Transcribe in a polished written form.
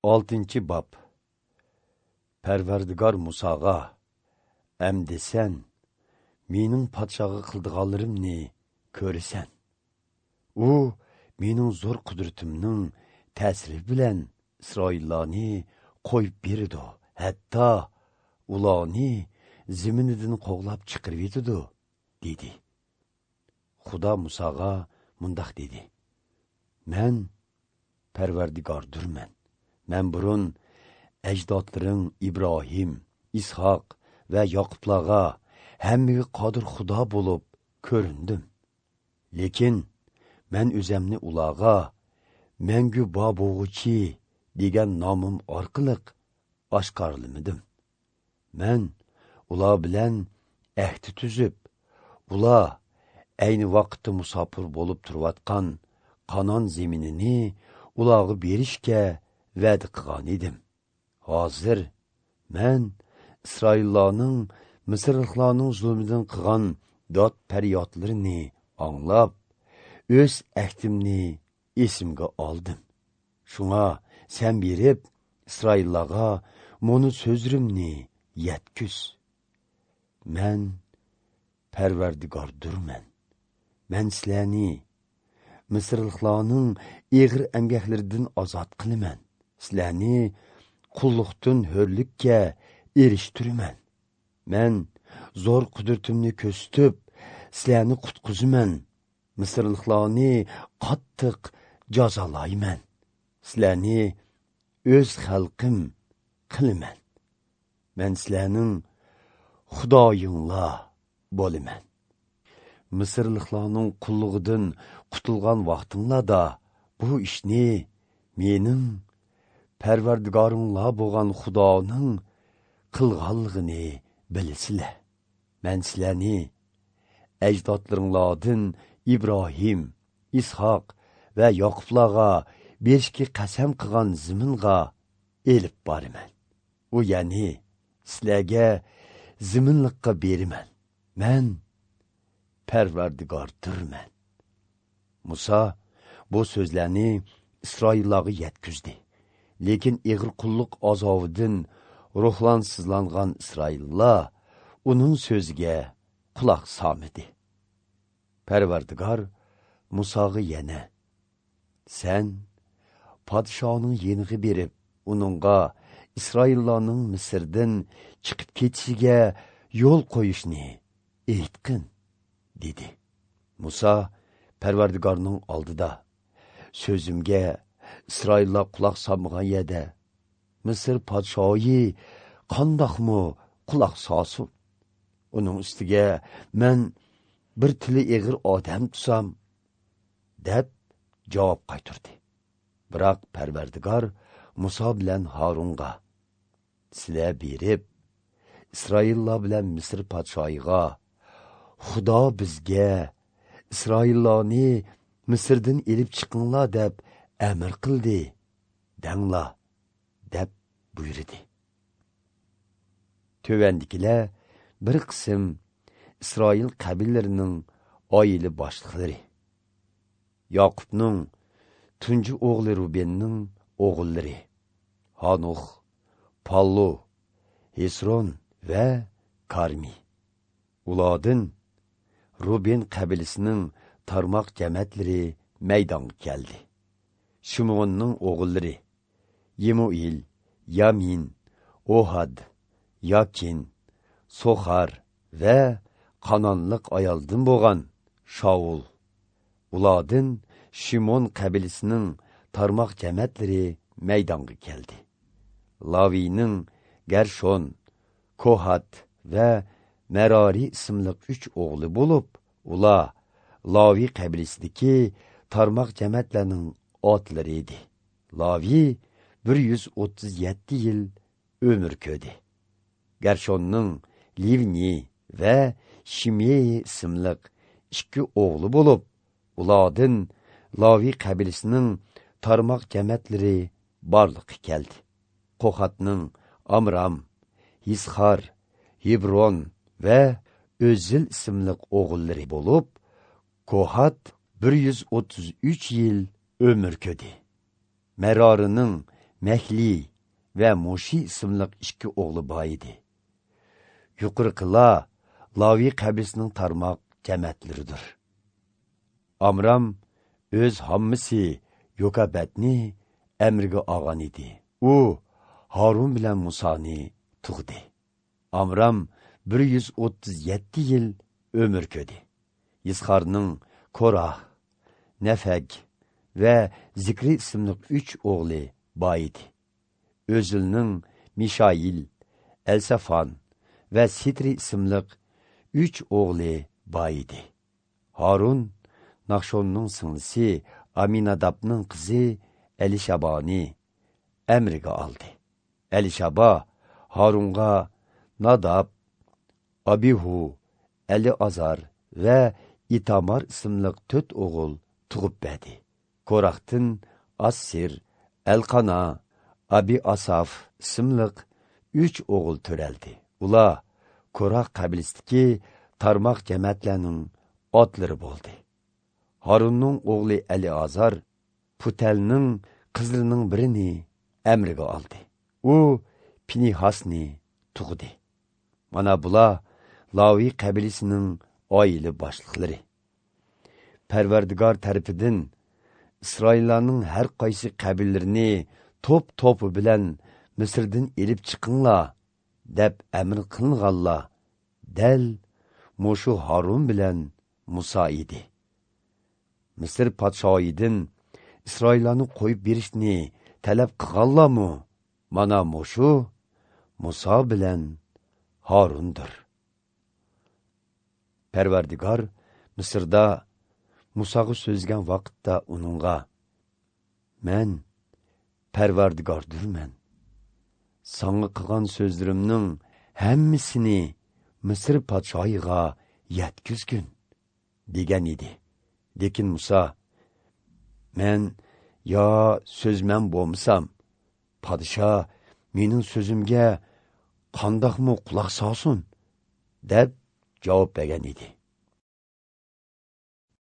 6-bob. Parvardigor Musoga: "Әмdi sen mening podshoga qildiganlarimni ko'rasan. U mening zo'r qudratimning ta'siri bilan Isroillarni qo'yib berdi, hatto ularni ziminidan qo'g'lab chiqarib yetidi", dedi. Xudo Musoga mundoq dedi: "Men Parvardigordurman. Men burun ajdodlaring Ibrohim, Ishoq va Yoqublarga hammaga qodir Xudo bo'lib ko'rindim. Lekin men o'zimni ularga Mangu Bobog'uchi degan nomim orqali oshkorlamadim. Men ular bilan ahd tuzib, ular ayni vaqtda musofir bo'lib turayotgan Qanon zeminini ularga berishga va'da qilgan edim. Hozir men Isroillarning Misrliklarning zulmidan qilgan dod faryodlarini anglab, o'z ahdimni esimga oldim. Shunga sen berib Isroillarga muni so'zlarimni yetkuz. Men Parvardigordurman. Men sizlarni Misrliklarning ig'ir emgaklaridan ozod qilaman. Sizlarni qulluqdan hurlikka erishtiraman. Men zo'r qudratimni ko'rsatib, sizlarni qutqizaman. Misrliklarni qattiq jazolayman. Sizlarni o'z xalqim qilaman. Men sizlarning Xudoyinglar bo'laman. Misrliklarning qullugidan qutulgan vaqtinglarda bu ishni mening Parvardigoringlar bo'lgan Xudoning qilganligini bilasizlar. Men sizlarni ajdodlaringlardan Ibrohim, Ishoq va Yoqublarga berishga qasam qilgan ziminga elib boraman. U ya'ni sizlarga ziminlikqa beraman. Men Parvardigordurman." Muso bu so'zlarni Isroillarga yetkazdi. Lekin ig'ir qulluq azobidan ruhlansizlangan Isroillar uning so'ziga quloq solmadi. Parvardigor Musoga yana: "Sen podshoning yeniga berib, uningga Isroillarning Misrdan chiqib ketishiga yo'l qo'yishni aytqin", dedi. Muso Parvardigorning oldida: "So'zimga Isroillar quloq solmagan yerda Misr podshoyi qandoqmi quloq solsin? Uning ustiga men bir tili ig'ir odam tusam", deb javob qaytardi. Biroq Parvardigor Muso bilan Harunga: "Sizlar berib Isroillar bilan Misr podshoyiga Xudo bizga Isroillarni Misrdan elib chiqinglar deb amr qildi, danglar", deb buyurdi. Tovandikilar bir qism Isroil qabilelarining oila boshliqlari. Yoqubning tunji o'g'li Rubenning o'g'illari Hanux, Pallu, Hesron va Karmi. Ulardan Ruben qabilasining tarmoq jamatlari maydonga keldi. Şimonning o'g'illari Yemuil, Yamin, Ohad, Yakin, Soxar va Qanonlik ayoldan bo'lgan Shaul. Ulardan Şimon qabilasining tarmoq jamatlari maydonga keldi. Laviyning Gershon, Kohat va Merari ismli 3 o'g'li bo'lib, ular Laviy qabilasidagi tarmoq jamatlarining otlari edi. Laviy 137 yil ömür ko'rdi. Gershonning Livni va Shimei ismli 2 o'g'li bo'lib, ulardan Laviy qabilasining tarmoq jamatlari borliqqa keldi. Qohatning Amram, Yisxar, Hebron va O'zil ismli o'g'illari bo'lib, Kohat 133 yil ömür ko'rdi. Merarining Mehli va Mushi ismli ikki o'g'li bor edi. Yuqorqilar Lavi qabilasining tarmoq jamatlaridir. Amram o'z hammasi Yokabatni amriga olgan edi. U Harun bilan Musoni tug'di. Amram 137 yil ömür ko'rdi. Yisxarning Korah, Nefeg va Zikri ismli 3 o'g'li bor edi. O'zilning Mishail, Elsafan va Sitri ismli 3 o'g'li bor edi. Harun Nahshonning singlisi Aminadabning qizi Elishabani emriga oldi. Elishaba Harunga Nadab, Abihu, Eli Azar va Itamar ismli 4 o'g'il tug'ib berdi. Korahdan Assir, Elqana, Abi Asaf ismli 3 o'g'il törəldi. Ular Korah qabilasidagi tarmoq jamoatlarning otlari bo'ldi. Harunning o'g'li Ali Azar Putelning qizlarining birini emriga oldi. U Pinihasni tug'di. Mana bular Lavi qabilasining oila boshliqlari. Parvardigor tarafidan Isroillarning har qaysi qabilalarini to'p-to'pi bilan Misrdan elib chiqinglar deb amr qilinganlar dal mushu Harun bilan Musa edi. Misr podshoyidan Isroillarni qo'yib berishni talab qilganlarmi? Mana mushu Musa bilan Harundir. Parvardigor Misrda Musoga so'zlagan vaqtda uningga: "Men Parvardigordurman. Sanga qilgan so'zlarimning hammasini Misr podshoyiga yetkizgin" degan edi. Lekin Musa: "Men yo so'zman bo'lmasam, podsho mening so'zimga qandoqmi quloq solsin?" deb javob bergan edi.